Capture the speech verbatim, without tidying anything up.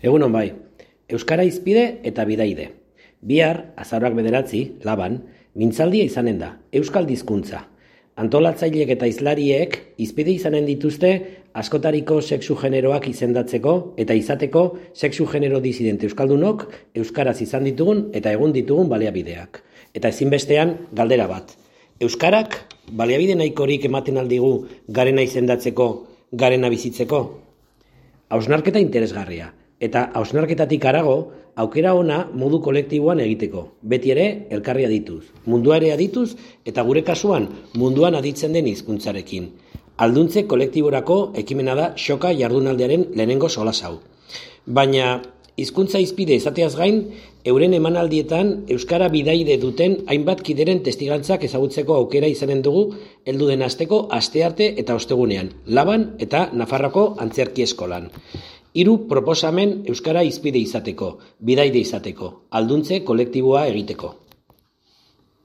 Egunon bai, Euskara hizpide eta bidaide. Bihar, azaroak bederatzi, laban, mintzaldia izanen da, Euskal Hizkuntza. Antolatzaileek eta hizlariek hizpide izanen dituzte askotariko sexu generoak izendatzeko eta izateko sexu genero disidente euskaldunok euskaraz izan ditugun eta egun ditugun baliabideak. Eta ezinbestean galdera bat. Euskarak baliabide nahikorik ematen aldigu garena izendatzeko, garena bizitzeko? Hausnarketa interesgarria. Eta hausnarketatik harago, aukera ona modu kolektiboan egiteko. Beti ere, elkarri adituz. Mundua ere adituz, eta gure kasuan munduan aditzen den hizkuntzarekin. Alduntze kolektiborako ekimena da Xoka jardunaldiaren lehenengo solas hau. Baina, hizkuntza hizpide izateaz gain, euren emanaldietan euskara bidaide duten hainbat kideren testigantzak ezagutzeko aukera izanen dugu heldu den asteko astearte eta ostegunean, Laban eta Nafarroako Antzerki Eskolan. Hiru proposamen euskara hizpide izateko, bidaide izateko, alduntze kolektiboa egiteko.